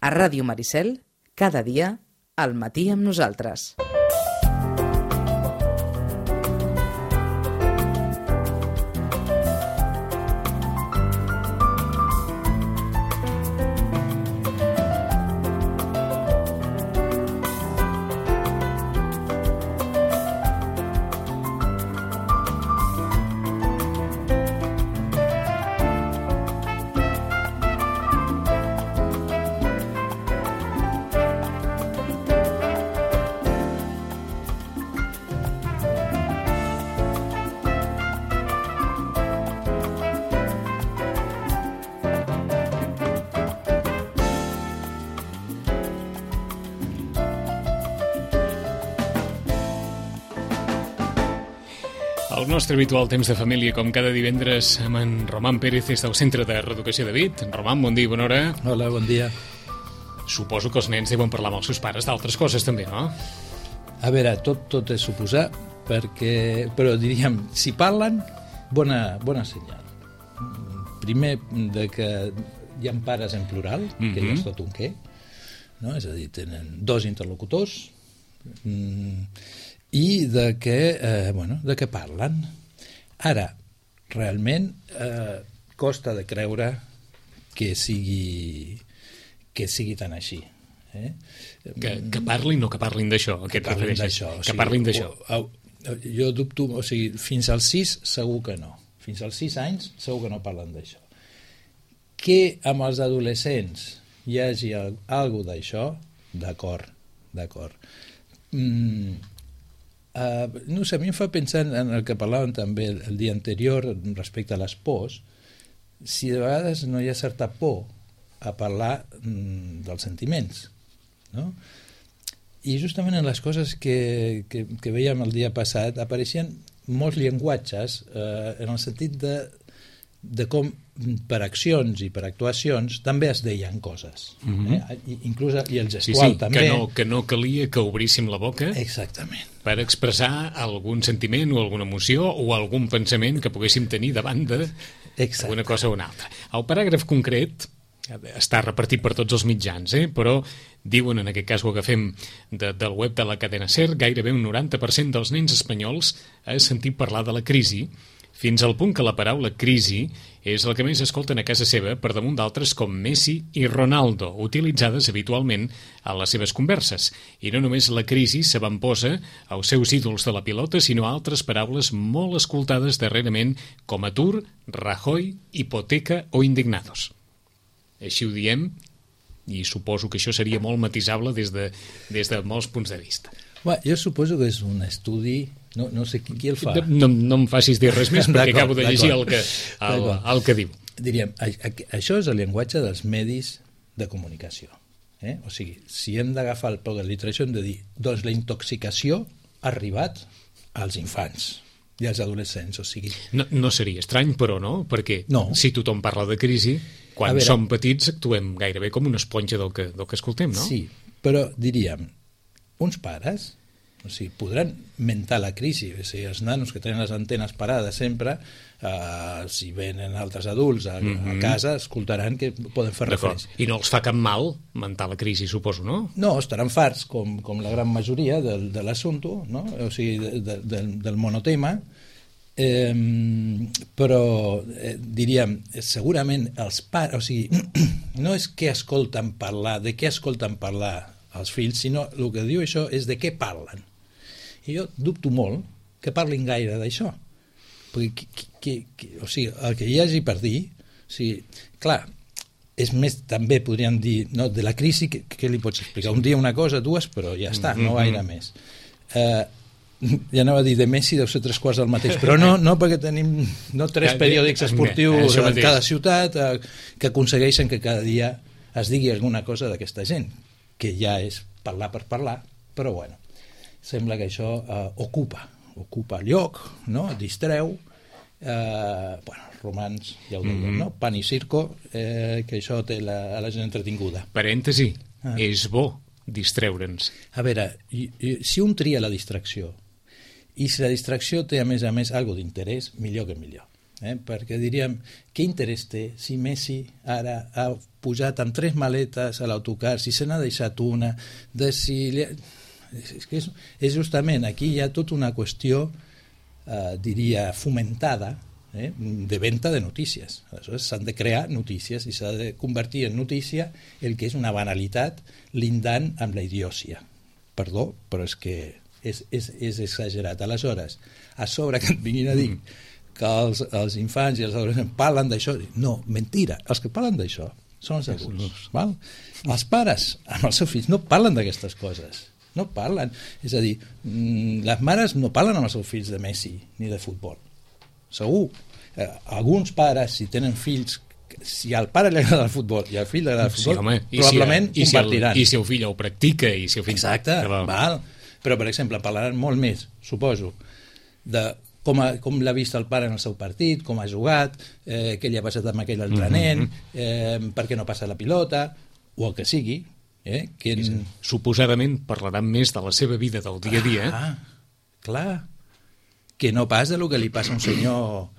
A Ràdio Maricel, cada dia, al matí amb nosaltres. El nostre habitual temps de família, com cada divendres, amb en Román Pérez des del Centre de Reeducació de Vic. Román, bon dia, bona hora. Hola, bon dia. Suposo que els nens deuen parlar amb els seus pares d'altres coses també, no? A veure, tot és suposar, però diríem, si parlen, bona senyal. Primer, de que hi ha pares en plural, que ja és tot un què, no? És a dir, tenen dos interlocutors, i de què parlen. Ara, realment costa de creure que sigui tan així. Que parlin o que parlin d'això? Que parlin d'això. Jo dubto, o sigui, fins als 6 segur que no. Fins als 6 anys segur que no parlen d'això. Que amb els adolescents hi hagi alguna d'això, d'acord. No sé, a mi em fa pensar en el que parlàvem també el dia anterior respecte a les pors, si de vegades no hi ha certa por a parlar dels sentiments, no? I justament en les coses que veiem el dia passat apareixien molts llenguatges en el sentit de com per accions i per actuacions també es deien coses, inclús i el gestual també. Que no calia que obríssim la boca. Exactament. Per expressar algun sentiment o alguna emoció o algun pensament que poguéssim tenir davant d'una cosa o una altra. El paràgraf concret està repartit per tots els mitjans, però diuen, en aquest cas ho agafem del web de la cadena SER, gairebé un 90% dels nens espanyols ha sentit parlar de la crisi, fins al punt que la paraula crisi és el que més escolten a casa seva per damunt d'altres com Messi i Ronaldo, utilitzades habitualment a les seves converses. I no només la crisi s'avantposa als seus ídols de la pilota, sinó a altres paraules molt escoltades darrerament com atur, Rajoy, hipoteca o indignados. Així ho diem, i suposo que això seria molt matisable des de molts punts de vista. Jo suposo que és un estudi, no sé qui el fa. No em facis dir res més perquè acabo de llegir el que diu. Diríem, això és el llenguatge dels medis de comunicació. O sigui, si hem d'agafar el peu de la literatura, hem de dir, doncs la intoxicació ha arribat als infants i als adolescents. O sigui... No seria estrany, però, no? Perquè si tothom parla de crisi, quan som petits actuem gairebé com una esponja del que escoltem, no? Sí, però diríem, uns pares, o sigui, podran mentar la crisi, o sigui, els nanos que tenen les antenes parades sempre, si venen altres adults a casa, escoltaran que poden fer referència. I no els fa cap mal mentar la crisi, suposo, no? No, estaran farts, com la gran majoria de l'assumpte, no? O sigui, del monotema, però diríem, segurament els pares, o sigui, no és què escolten parlar, de què escolten parlar els fills, sinó el que diu això és de què parlen. I jo dubto molt que parlin gaire d'això. Perquè o sigui, el que hi hagi per dir, o sigui, clar, és més, també podríem dir, no, de la crisi, què li pots explicar? Un dia una cosa, dues, però ja està, no gaire més. Ja anava a dir, de Messi deu ser 3/4 del mateix, però no perquè tenim 3 periòdics esportius en cada ciutat que aconsegueixen que cada dia es digui alguna cosa d'aquesta gent, que ja és parlar per parlar, però bueno, sembla que això ocupa lloc, no? Distreu, romans, ja ho deien, no? Pan i circo, que això té a la gent entretinguda. Parèntesi, és bo distreure'ns. A veure, si un tria la distracció, i si la distracció té a més alguna d'interès, millor que millor. Perquè diríem, què interès té si Messi ara ha pujat amb 3 maletes a l'autocar, si se n'ha deixat una, de si... És justament, aquí hi ha tota una qüestió, diria, fomentada, de venda de notícies. Aleshores s'han de crear notícies i s'ha de convertir en notícia el que és una banalitat lindant amb la idiòcia. Perdó, però és que és exagerat. Aleshores, a sobre que et vinguin a dir que els infants i els adolescents parlen d'això, no, mentira, els que parlen d'això són els adults. Val? Els pares amb els seus fills no parlen d'aquestes coses, no parlen. És a dir, les mares no parlen amb els seus fills de Messi ni de futbol, segur. Alguns pares, si tenen fills, si al pare li agrada el futbol i al fill li agrada el futbol, sí, home, probablement compartiran. I si el fill ho practica i si el fill... Exacte, val. Però per exemple parlaran molt més, suposo, de com l'ha vist el pare en el seu partit, com ha jugat, què li ha passat amb aquell altre nen, per què no passa la pilota, o el que sigui. Suposadament parlaran més de la seva vida del dia a dia. Clar, que no pas de lo que li passa a un senyor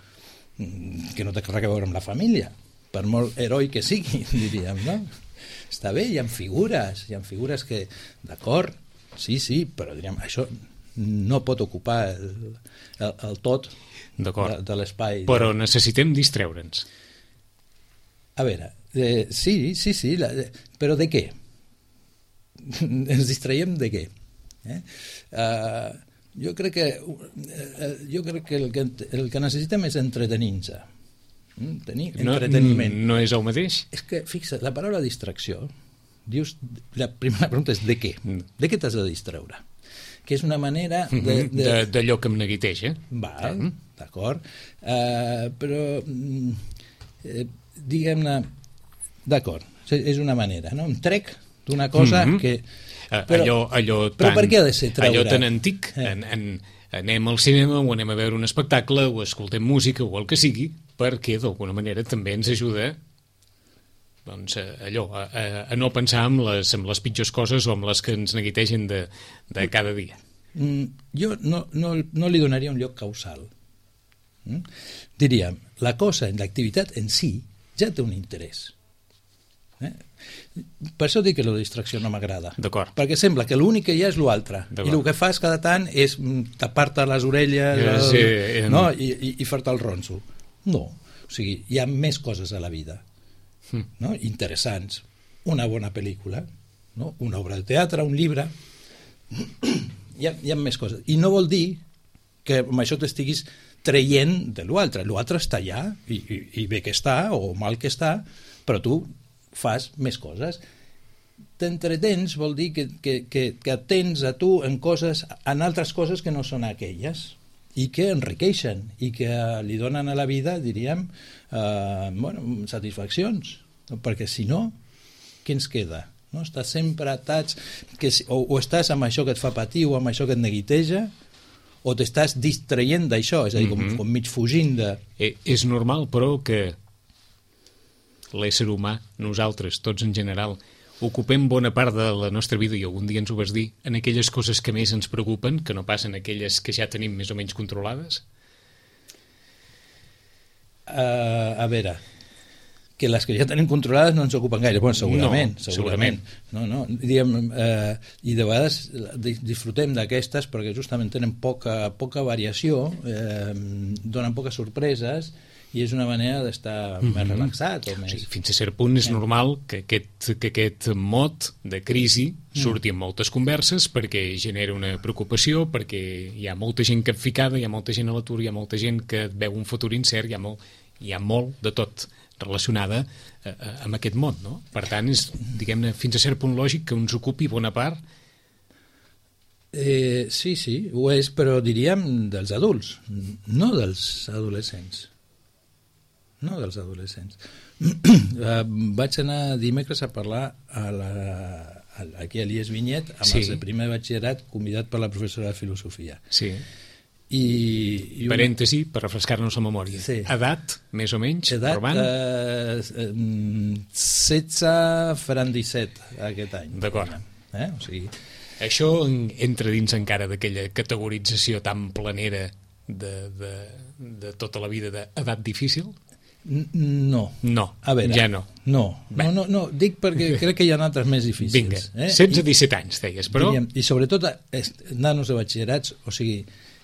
que no té res a veure amb la família, per molt heroi que sigui, diríem, no? Està bé, hi ha figures que, d'acord, sí, però diríem, això no pot ocupar el tot de l'espai. Però necessitem distreure'ns. A veure, sí, però de què? Ens distraiem de què? Jo crec que el que necessitem és entretenir-nos. Tenir entreteniment. No és el mateix? És que, fixa't, la paraula distracció, dius, la primera pregunta és de què? De què t'has de distreure? Que és una manera d'allò que em neguiteja. Val, d'acord. Però, diguem-ne, d'acord, és una manera, no? Em trec d'una cosa que... Però per què ha de ser treure? Allò tan antic, anem al cinema o anem a veure un espectacle o escoltem música o el que sigui, perquè d'alguna manera també ens ajuda doncs, a no pensar en les pitjors coses o en les que ens neguitegen de cada dia. Jo no li donaria un lloc causal. Diríem, la cosa, l'activitat en si ja té un interès. Per això dic que la distracció no m'agrada, perquè sembla que l'únic que hi ha és l'altre i el que fas cada tant és tapar-te les orelles i fer-te el ronso. No, o sigui, hi ha més coses a la vida, no? Interessants, una bona pel·lícula, no? Una obra de teatre, un llibre, hi ha més coses, i no vol dir que amb això t'estiguis traient de l'altre està allà i bé que està o mal que està, però tu fas més coses. T'entretens vol dir que atens a tu en altres coses que no són aquelles i que enriqueixen i que li donen a la vida, diríem, satisfaccions, perquè si no, què ens queda? No? Estàs sempre atats o estàs amb això que et fa patir o amb això que et neguiteja o t'estàs distraient d'això, és a dir, com mig fugint de... És normal, però, que l'ésser humà, nosaltres, tots en general, ocupem bona part de la nostra vida, i algun dia ens ho vas dir, en aquelles coses que més ens preocupen, que no passen aquelles que ja tenim més o menys controlades? A veure, que les que ja tenim controlades no ens ocupen gaire. Bueno, segurament. No. Diguem, i de vegades disfrutem d'aquestes perquè justament tenen poca variació, donen poques sorpreses, i és una manera d'estar més relaxat. O més... Sí, fins a cert punt és normal que aquest mot de crisi surti en moltes converses perquè genera una preocupació, perquè hi ha molta gent capficada, hi ha molta gent a l'atur, hi ha molta gent que veu un futur incert, hi ha molt de tot relacionada amb aquest mot, no? Per tant, és, diguem-ne, fins a cert punt lògic que ens ocupi bona part. Sí, ho és, però diríem dels adults, no dels adolescents. Vaig anar dimecres a parlar aquí a l'IES Vinyet amb els de primer batxillerat convidat per la professora de filosofia. Sí. Parèntesi, per refrescar-nos la memòria. Sí. Edat, més o menys? Edat, 16 faran 17 aquest any. D'acord. O sigui... Això entra dins encara d'aquella categorització tan planera de tota la vida d'edat difícil? No. No, a veure, ja no. No, dic perquè crec que hi ha altres més difícils. Vinga, 16-17 anys, deies, però... Diríem, i sobretot, nanos de batxillerats, o sigui,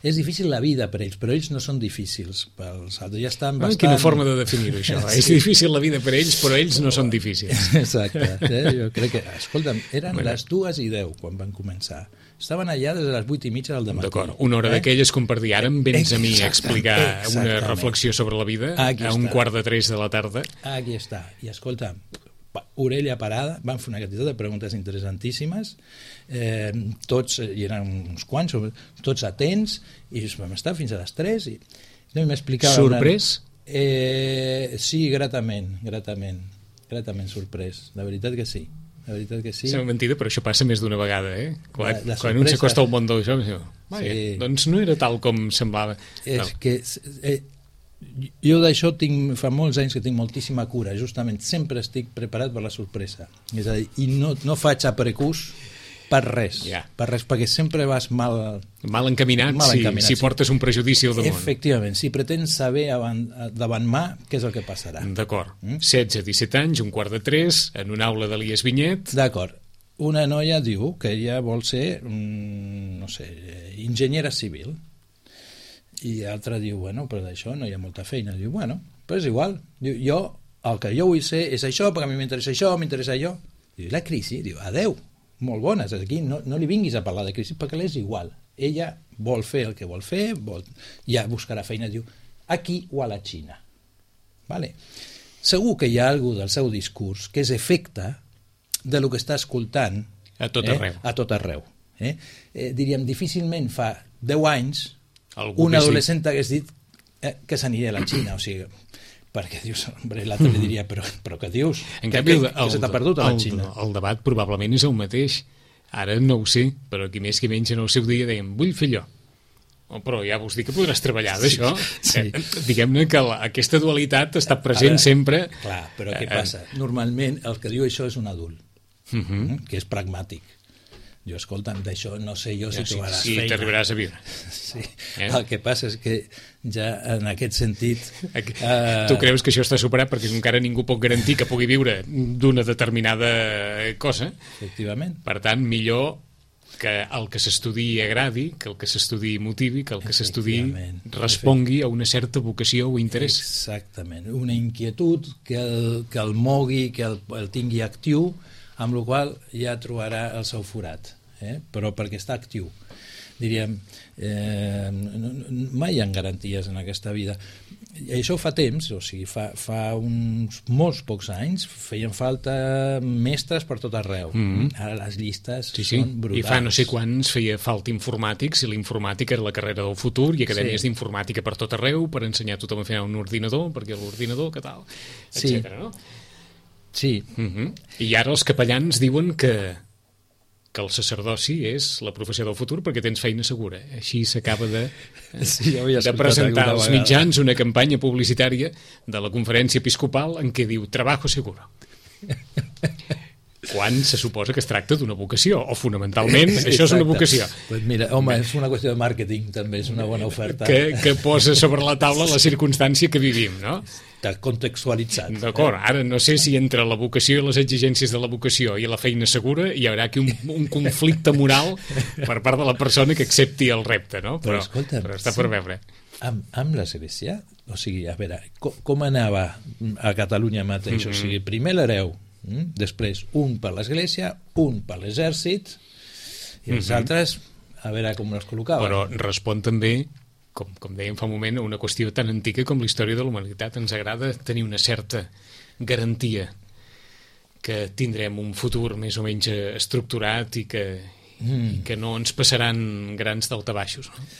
és difícil la vida per ells, però ells no són difícils pels altres, ja estan bastant... Quina forma de definir-ho, això. Sí. És difícil la vida per ells, però ells no són difícils. Exacte. Jo crec que, escolta'm, eren les 2:10 quan van començar. Estaven allà des de les 8:30 del dematí. D'acord, una hora d'aquelles com per dir, ara em vens a mi a explicar una reflexió sobre la vida a 2:45 de la tarda. Aquí està. I escolta, orella parada, van fer una quantitat de preguntes interessantíssimes, tots, hi eren uns quants, tots atents, i vam estar fins a les 3 i no m'explicava... Sorprès? Sí, gratament sorprès, la veritat que sí. La veritat que sí. Sembla mentida, però això passa més d'una vegada, quan un s'acosta al món d'això, doncs no era tal com semblava. És que jo d'això fa molts anys que tinc moltíssima cura, justament sempre estic preparat per la sorpresa, és a dir, i no faig a precús per res, perquè sempre vas mal encaminat, si portes un prejudici al damunt. Efectivament, si pretens saber davant mà què és el que passarà. D'acord, 16-17 anys, 2:45, en una aula d'Elies Vinyet. D'acord, una noia diu que ella vol ser, no sé, enginyera civil, i l'altra diu, bueno, però d'això no hi ha molta feina. Diu, bueno, però és igual. Diu, el que jo vull ser és això, perquè a mi m'interessa això, m'interessa allò. Diu, la crisi? Diu, adeu, molt bones, aquí no li vinguis a parlar de crisi perquè l'és igual. Ella vol fer el que vol fer, ja buscarà feina, diu, aquí o a la Xina. Vale. Segur que hi ha algú del seu discurs que és efecte de lo que està escoltant a tot arreu. A tot arreu. Diríem, difícilment fa 10 anys un adolescent hagués dit que s'aniria a la Xina, o sigui, perquè dius, l'altre li diria, però què dius? En canvi, que se t'ha perdut a la Xina? El debat probablement és el mateix. Ara no ho sé, però qui més que menys en el seu dia dèiem, vull fer allò. Però ja vols dir que podràs treballar d'això. Sí. Diguem-ne que aquesta dualitat està present sempre. Clar, però què passa? Normalment el que diu això és un adult, que és pragmàtic. Jo, escolta'm, d'això no sé jo si trobaràs feina. Sí, t'arribaràs a viure. Sí. El que passa és que ja en aquest sentit... Tu creus que això està superat perquè encara ningú pot garantir que pugui viure d'una determinada cosa. Efectivament. Per tant, millor que el que s'estudi agradi, que el que s'estudi motivi, que el que s'estudi respongui a una certa vocació o interès. Exactament. Una inquietud que el mogui, que el tingui actiu, amb la qual ja trobarà el seu forat, però perquè està actiu. Diríem, mai hi ha garanties en aquesta vida. I això fa temps, o sigui, fa uns molts pocs anys feien falta mestres per tot arreu. Ara les llistes són brutals. I fa no sé quants feia falta informàtics, i la informàtica era la carrera del futur, i acadèmies d'informàtica per tot arreu, per ensenyar a tothom a fer un ordinador, perquè l'ordinador, què tal, etcètera, no? Sí. I ara els capellans diuen que el sacerdoci és la professió del futur perquè tens feina segura. Així s'acaba de presentar als mitjans una campanya publicitària de la conferència episcopal en què diu «Trabajo seguro». Quan se suposa que es tracta d'una vocació, o fonamentalment això és una vocació. Pues mira, home, és una qüestió de màrqueting també, és una bona oferta. Que posa sobre la taula la circumstància que vivim, no? Està contextualitzat. D'acord, ara no sé si entre la vocació i les exigències de la vocació i la feina segura hi haurà aquí un conflicte moral per part de la persona que accepti el repte, no? Però està per veure. Amb l'Església, o sigui, a veure, com anava a Catalunya mateix? O sigui, primer l'hereu, després un per l'Església, un per l'Exèrcit, i els altres a veure com els col·locaven. Però respon també, com dèiem fa un moment, a una qüestió tan antiga com la història de la humanitat. Ens agrada tenir una certa garantia que tindrem un futur més o menys estructurat i que no ens passaran grans daltabaixos, no?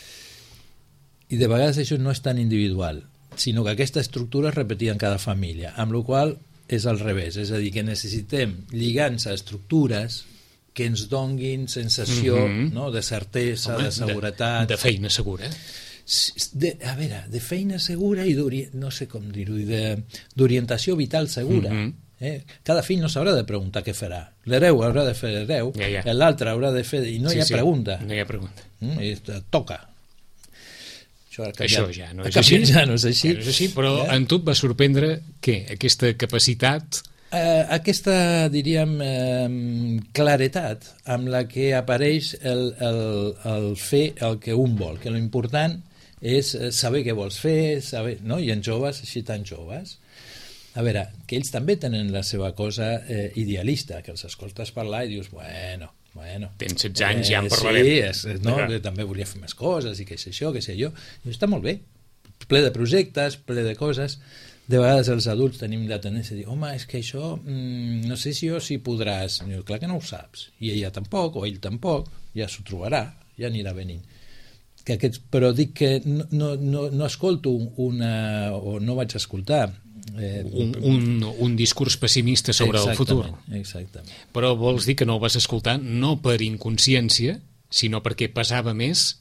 I de vegades això no és tan individual, sinó que aquesta estructura es repetia en cada família, amb la qual és al revés, és a dir, que necessitem lligants a estructures que ens donguin sensació de certesa, de seguretat. De feina segura. A veure, de feina segura i no sé com dir-ho, d'orientació vital segura. Cada fill no s'haurà de preguntar què farà. L'hereu haurà de fer l'hereu, l'altre haurà de fer... I no hi ha pregunta. No hi ha pregunta. Toca. Això ja no és així. Ja no és així. Ja no és així, però en tu et va sorprendre què? Aquesta capacitat... Aquesta, diríem, claretat amb la que apareix el fer el que un vol, que l'important és saber què vols fer, saber, no? I en joves, així tan joves. A veure, que ells també tenen la seva cosa idealista, que els escoltes parlar i dius, bueno... Tens 16 anys, ja en parlarem. Sí, que també volia fer més coses i què sé jo, què sé jo. I està molt bé, ple de projectes, ple de coses. De vegades els adults tenim la tendència a dir, home, és que això no sé si podràs. I diu, clar que no ho saps, i ella tampoc, o ell tampoc, ja s'ho trobarà, ja anirà venint. Però dic que no escolto o no vaig escoltar un discurs pessimista sobre el futur. Exactament. Però vols dir que no ho vas escoltar no per inconsciència, sinó perquè pesava més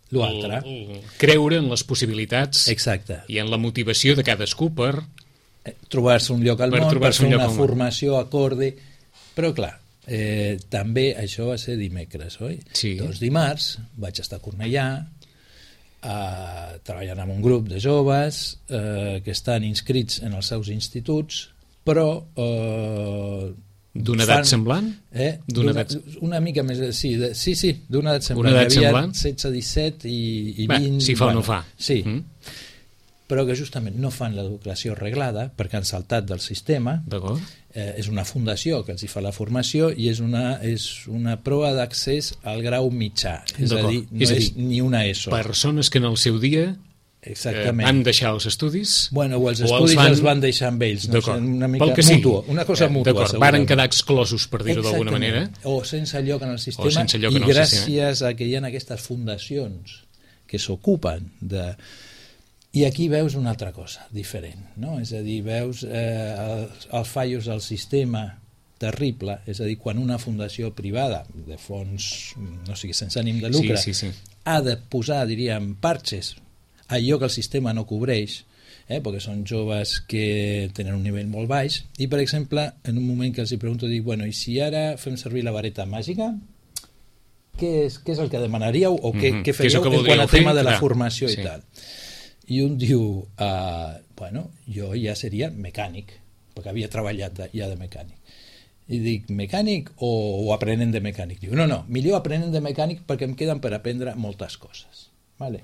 creure en les possibilitats. Exacte. I en la motivació de cadascú per trobar-se un lloc al món, per fer una formació acorde. Però clar, també això va ser dimecres, oi? Sí. Doncs dimarts vaig estar a Cornellà treballant amb un grup de joves que estan inscrits en els seus instituts, però d'una edat semblant? Una mica més, sí, d'una edat semblant. Una edat semblant? 16, 17 i 20... Si fa o no fa. Sí, però que justament no fan l'educació reglada perquè han saltat del sistema. D'acord. És una fundació que els hi fa la formació i és una prova d'accés al grau mitjà. És a dir, no és ni una ESO. Persones que en el seu dia van deixar els estudis o els estudis els van deixar amb ells, una mica mútua, una cosa mútua. Varen quedar exclosos, per dir-ho d'alguna manera, o sense lloc en el sistema, i gràcies a que hi ha aquestes fundacions que s'ocupen de... I aquí veus una altra cosa diferent, no? És a dir, veus els fallos del sistema terrible, és a dir, quan una fundació privada de fons, no sigui sense ànim de lucre, ha de posar, diríem, parxes allò que el sistema no cobreix, perquè són joves que tenen un nivell molt baix, i per exemple, en un moment que els hi pregunto, dic, bueno, i si ara fem servir la vareta màgica, què és el que demanaríeu o què faríeu en quant a tema de la formació i tal? I un diu, bueno, jo ja seria mecànic, perquè havia treballat ja de mecànic. I dic, mecànic o aprenent de mecànic? Diu, no, millor aprenent de mecànic perquè em queden per aprendre moltes coses. Vale.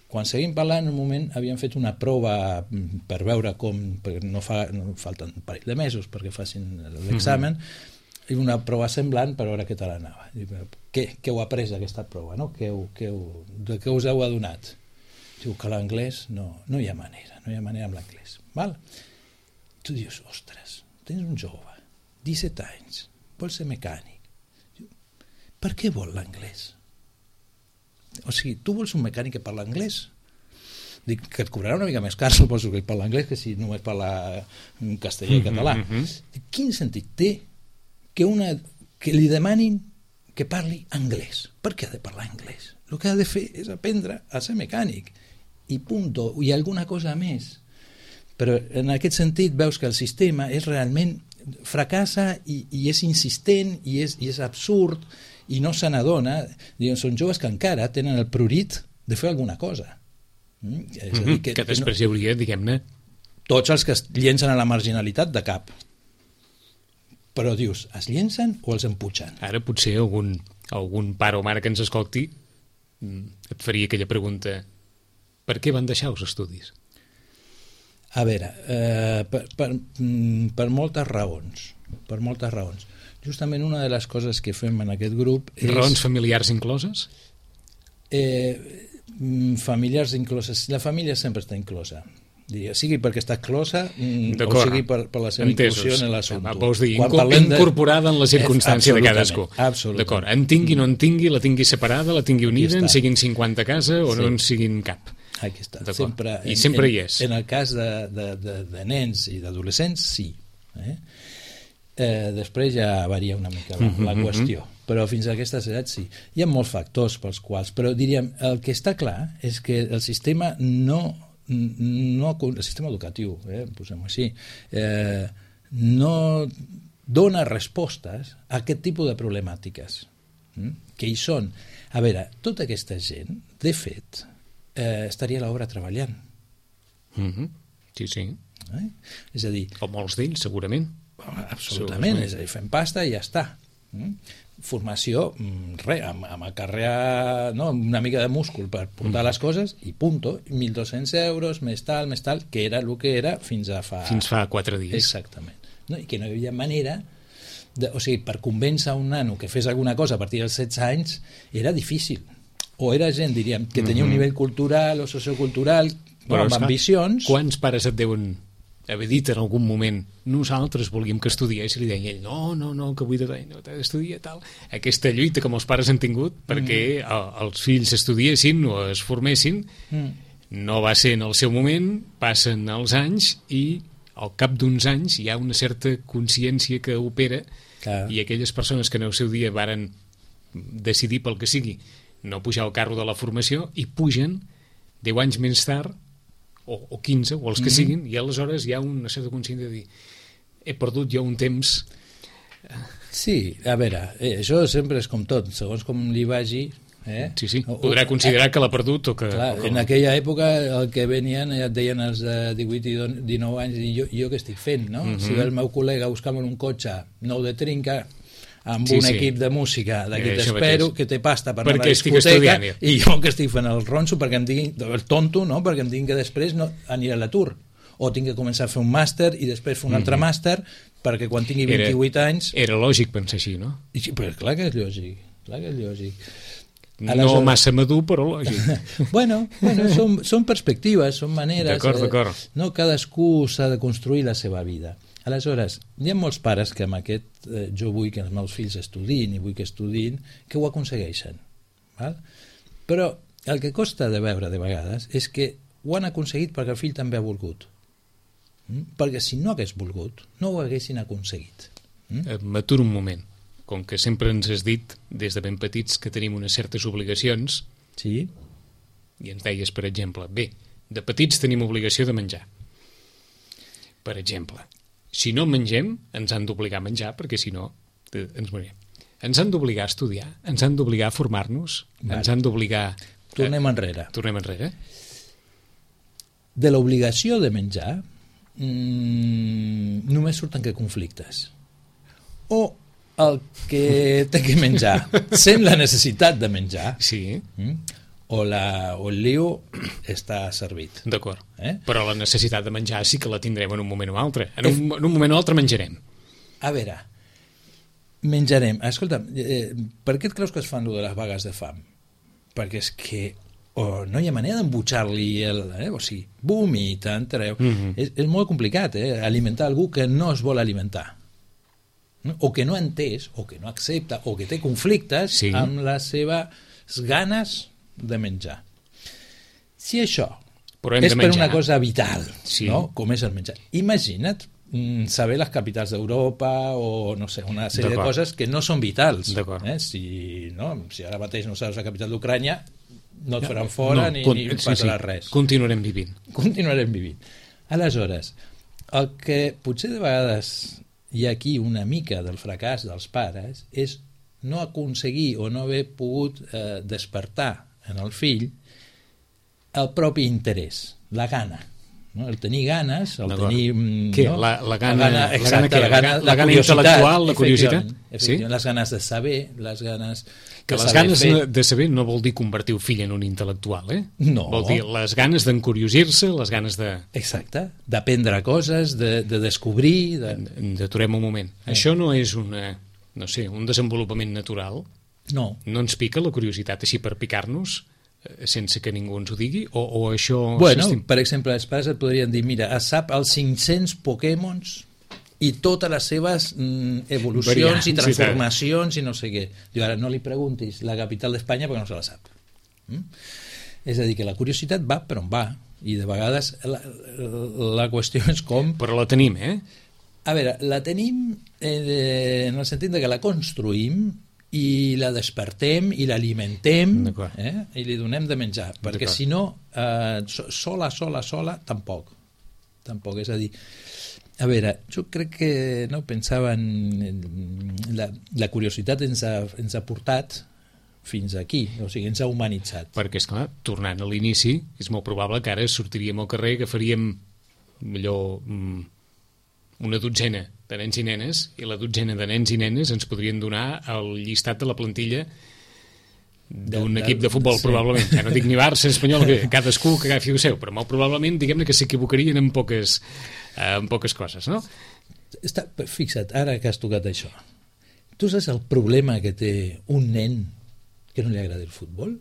Quan seguim parlant, en un moment havíem fet una prova per veure com, perquè no falten un parell de mesos perquè facin l'examen, i una prova semblant per veure què tal anava. Què heu après d'aquesta prova? No? De què us heu adonat? Diu que l'anglès no hi ha manera amb l'anglès. Tu dius, ostres, tens un jove, 17 anys, vol ser mecànic. Per què vol l'anglès? O sigui, tu vols un mecànic que parla anglès? Dic que et cobrarà una mica més car, suposo que parla anglès, que si només parla castellà i català. Quin sentit té que li demanin que parli anglès? Per què ha de parlar anglès? El que ha de fer és aprendre a ser mecànic. I punto. I alguna cosa més. Però en aquest sentit veus que el sistema és realment fracassa i és insistent i és absurd i no se n'adona. Són joves que encara tenen el prurit de fer alguna cosa. És a dir, que després hi hauria, diguem-ne, tots els que es llencen a la marginalitat de cap. Però dius, es llencen o els empugen? Ara potser algun pare o mare que ens escolti et faria aquella pregunta: per què van deixar els estudis? A veure, per moltes raons. Per moltes raons. Justament una de les coses que fem en aquest grup és... Raons familiars incloses? Familiars incloses. La família sempre està inclosa. Sigui perquè està exclosa o sigui per la seva inclusió en l'assumpte. Vols dir, incorporada en la circumstància de cadascú. D'acord, en tingui, no en tingui, la tingui separada, la tingui unida, en siguin 50 a casa o no en siguin cap. Aquí està. I sempre hi és. En el cas de nens i d'adolescents, sí. Després ja varia una mica la qüestió, però fins a aquestes edats sí. Hi ha molts factors pels quals, però diríem, el que està clar és que el sistema el sistema educatiu, posem-ho així, no dona respostes a aquest tipus de problemàtiques que hi són. A veure, tota aquesta gent, de fet, estaria a l'obra treballant. Sí, sí. És a dir... O molts d'ells, segurament. Absolutament, és a dir, fem pasta i ja està. Formació, res, amb a carrer, no, una mica de múscul per portar les coses i punto, 1.200 euros, més tal, que era el que era fins fa 4 dies. Exactament. No? I que no hi havia manera, o sigui, per convèncer un nano que fes alguna cosa a partir dels 16 anys era difícil. O era gent, diríem, que tenia un nivell cultural o sociocultural, amb ambicions... Quants pares et deuen haver dit en algun moment nosaltres volíem que estudiés i li deia ell, no, que vull no t'has d'estudiar tal. Aquesta lluita que molts pares han tingut perquè els fills estudiessin o es formessin no va ser en el seu moment, passen els anys i al cap d'uns anys hi ha una certa consciència que opera. Clar. I aquelles persones que en el seu dia varen decidir pel que sigui no pujar al carro de la formació i pugen 10 anys més tard o 15, o els que siguin, i aleshores hi ha una certa consciència de dir he perdut jo un temps. Sí, a veure, això sempre és com tot, segons com li vagi. Sí, podrà considerar que l'ha perdut o que... Clar, en aquella època el que venien ja et deien els de 18 i 19 anys i jo què estic fent, no? Si ve el meu col·lega buscant un cotxe nou de trinca amb un equip de música d'aquí t'espero, que té pasta per anar a la discoteca i jo que estic fent el ronso perquè em diguin, el tonto, no? Perquè em diguin que després no aniré a l'atur o tinc que començar a fer un màster i després fer un altre màster perquè quan tingui 28 anys... Era lògic pensar així, no? Però clar que és lògic, No massa madur, però lògic. Bueno, són perspectives, són maneres. D'acord. No, cadascú s'ha de construir la seva vida. Aleshores, hi ha molts pares que amb aquest jo vull que els meus fills estudiïn i vull que estudiïn, que ho aconsegueixen. Val? Però el que costa de veure de vegades és que ho han aconseguit perquè el fill també ha volgut. Perquè si no hagués volgut, no ho haguessin aconseguit. M'aturo un moment. Com que sempre ens has dit, des de ben petits, que tenim unes certes obligacions, sí. I ens deies, per exemple, bé, de petits tenim obligació de menjar. Per exemple, si no mengem, ens han d'obligar a menjar, perquè si no, ens morirem. Ens han d'obligar a estudiar, ens han d'obligar a formar-nos, ens han d'obligar... Tornem enrere. De l'obligació de menjar només surten que conflictes. O el que té que menjar sent la necessitat de menjar, sí. O el lío està servit. D'acord. Però la necessitat de menjar sí que la tindrem en un moment o altre. En un moment o altre menjarem. A veure, menjarem. Escolta, per què et creus que es fan de les vagues de fam? Perquè és que no hi ha manera d'embutxar-li o sigui, vomita, entreu. És molt complicat, alimentar algú que no es vol alimentar. O que no ha entès, o que no accepta, o que té conflictes amb les seves ganes de menjar. Si això és per una cosa vital, no? Com és el menjar, imagina't saber les capitals d'Europa o no sé, una sèrie de coses que no són vitals. Si ara mateix no saps la capital d'Ucrània, no et faran fora ni passarà res. Continuarem vivint. Aleshores, el que potser de vegades hi ha aquí una mica del fracàs dels pares és no aconseguir o no haver pogut despertar en el fill el propi interès, la gana, no? El tenir ganes, el tenir... Què? No? La gana intel·lectual, la curiositat? Les ganes de saber, les ganes... Que les ganes de saber no vol dir convertir el fill en un intel·lectual, No. Vol dir les ganes d'encuriosir-se, les ganes de... Exacte, d'aprendre coses, de descobrir... D'aturem un moment. Això no és un desenvolupament natural? No. No ens pica la curiositat així per picar-nos, sense que ningú ens ho digui? O això... Bueno, per exemple, els pares et podrien dir, mira, es sap els 500 Pokémons i totes les seves evolucions i transformacions i no sé què. Diu, ara no li preguntis la capital d'Espanya perquè no se la sap. És a dir, que la curiositat va per on va i de vegades la qüestió és com... Però la tenim, A veure, la tenim en el sentit de que la construïm i la despertem i l'alimentem i li donem de menjar, perquè si no sola tampoc, és a dir, a veure, jo crec que pensava en la curiositat ens ha portat fins aquí, o sigui, ens ha humanitzat. Perquè, esclar, tornant a l'inici, és molt probable que ara sortiríem al carrer, agafaríem millor una dotzena de nens i nenes, i la dotzena de nens i nenes ens podrien donar el llistat de la plantilla d'un equip de futbol, probablement. Ja no dic ni Barça, Espanyol, que cadascú que agafi el seu, però molt probablement, diguem-ne que s'equivocarien en poques coses, no? Fixa't, ara que has tocat això, tu saps el problema que té un nen que no li agrada el futbol?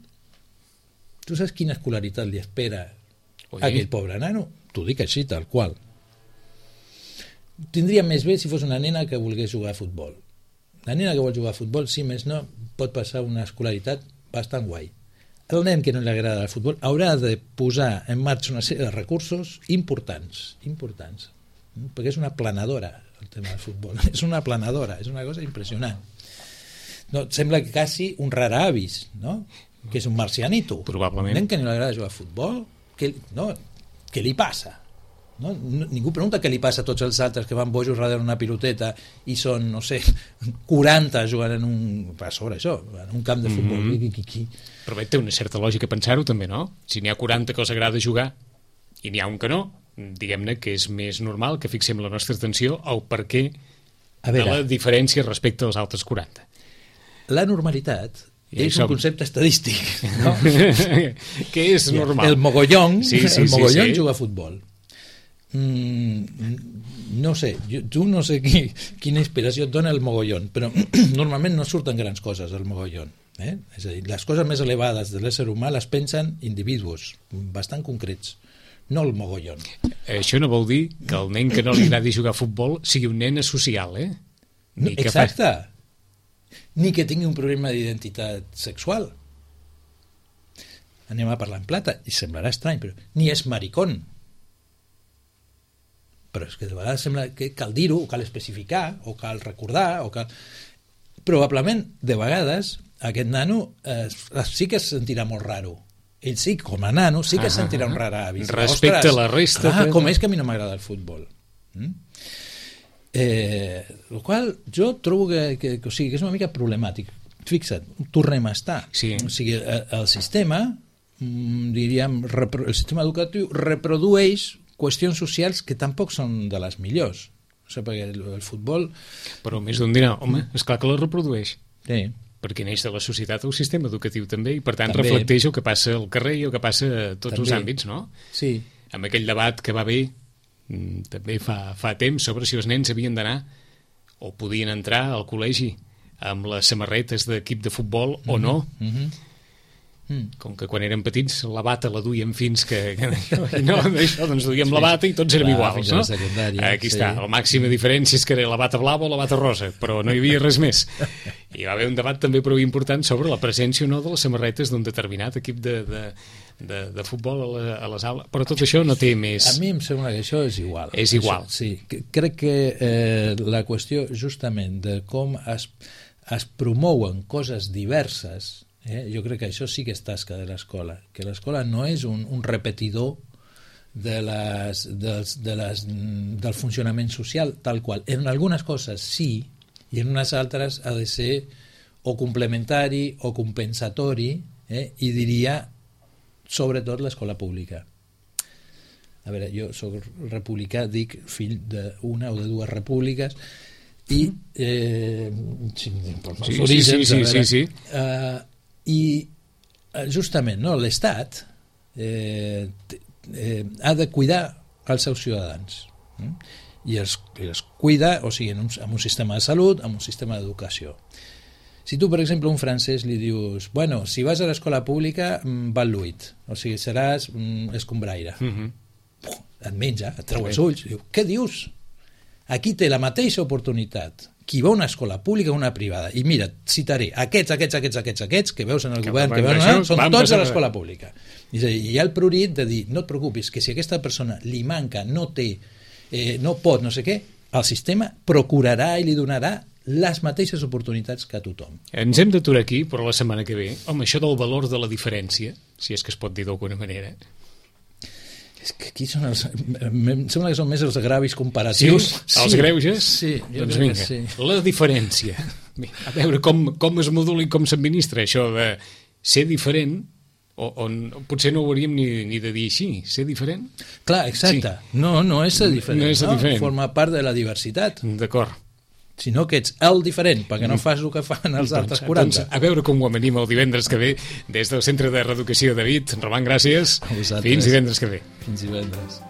Tu saps quina escolaritat li espera a aquell pobre nano? T'ho dic així, tal qual. Tindria més bé si fos una nena que volgués jugar a futbol. La nena que vol jugar a futbol, si més no, pot passar una escolaritat bastant guai. El nen que no li agrada el futbol haurà de posar en marxa una sèrie de recursos importants, perquè és una planadora el tema del futbol, és una planadora, és una cosa impressionant. No, sembla que quasi un raravis, no? Que és un marcianito. Probablement. Un nen que no li agrada jugar a futbol, què li passa? No? Ningú pregunta què li passa a tots els altres que van bojos darrere una piloteta i són, no sé, 40 jugant en un camp de futbol. Però bé, té una certa lògica pensar-ho també, no? Si n'hi ha 40 que els agrada jugar i n'hi ha un que no, diguem-ne que és més normal que fixem la nostra atenció al perquè de la diferència respecte als altres 40. La normalitat és un concepte estadístic, no? Què és normal? El mogollón juga a futbol. No sé, no sé quina inspiració et dona el mogollón, però normalment no surten grans coses del mogollón. És a dir, les coses més elevades de l'ésser humà les pensen individus bastant concrets, no el mogollón. Això no vol dir que el nen que no li agradi jugar a futbol sigui un nen asocial, eh? Exacte. Ni que tingui un problema d'identitat sexual. Anem a parlar en plata, i semblarà estrany, però ni és maricón. Però és que de vegades sembla que cal dir-ho, o cal especificar, o cal recordar, o cal... Probablement, de vegades, aquest nano sí que es sentirà molt raro. Ell sí, com a nano, sí que es sentirà un raravi. Respecte a la resta. Com és que a mi no m'agrada el futbol? El qual jo trobo que és una mica problemàtic. Fixa't, tornem a estar. Sí. O sigui, el sistema, diríem, el sistema educatiu reprodueix qüestions socials que tampoc són de les millors. O sigui, perquè el futbol... Però més d'un dirà, home, esclar que la reprodueix. Sí. Perquè neix de la societat el sistema educatiu també, i per tant reflecteix el que passa al carrer i el que passa a tots els àmbits, no? Sí. Amb aquell debat que va haver també fa temps sobre si els nens havien d'anar o podien entrar al col·legi amb les samarretes d'equip de futbol o no. Com que quan érem petits la bata la duíem fins que no, això, doncs duíem la bata i tots érem iguals, no? Aquí està, la màxima diferència és que era la bata blava o la bata rosa, però no hi havia res més. I va haver un debat també prou important sobre la presència o no de les samarretes d'un determinat equip de futbol a les aules, però tot això no té més... A mi em sembla que això és igual. És igual. Això, sí, crec que la qüestió justament de com es promouen coses diverses, jo crec que això sí que és tasca de l'escola, que l'escola no és un repetidor del funcionament social tal qual. En algunes coses sí, i en unes altres ha de ser o complementari o compensatori, i diria sobretot l'escola pública. A veure, jo soc republicà, dic fill d'una o de dues repúbliques, i sí. I justament l'Estat ha de cuidar els seus ciutadans i els cuida, o sigui, amb un sistema de salut, amb un sistema d'educació. Si tu, per exemple, a un francès li dius, bueno, si vas a l'escola pública val l'8, o sigui, seràs escombraire. Et menja, et treu els ulls, diu, què dius? Aquí té la mateixa oportunitat qui va a una escola pública o una privada. I mira, citaré aquests que veus en el govern, que veus, són tots a l'escola pública. És a dir, hi ha el prurit de dir, no et preocupis, que si aquesta persona li manca, no té, no pot, no sé què, el sistema procurarà i li donarà les mateixes oportunitats que a tothom. Ens hem d'aturar aquí, però la setmana que ve, home, això del valor de la diferència, si és que es pot dir d'alguna manera, És que aquí són em sembla que són més els agravis comparatius. Sí? Els greuges? Sí, doncs vinga, sí. La diferència. A veure com es modula i com s'administra això de ser diferent, o potser no ho hauríem ni de dir així, ser diferent. Clar, exacte. Sí. No és ser diferent. No és ser diferent. Forma part de la diversitat. D'acord. Sinó que ets el diferent, perquè no fas el que fan els altres 40. Doncs, a veure com ho amanim el divendres que ve des del Centre de Reeducació David. Roman, gràcies. Fins divendres que ve. Fins divendres.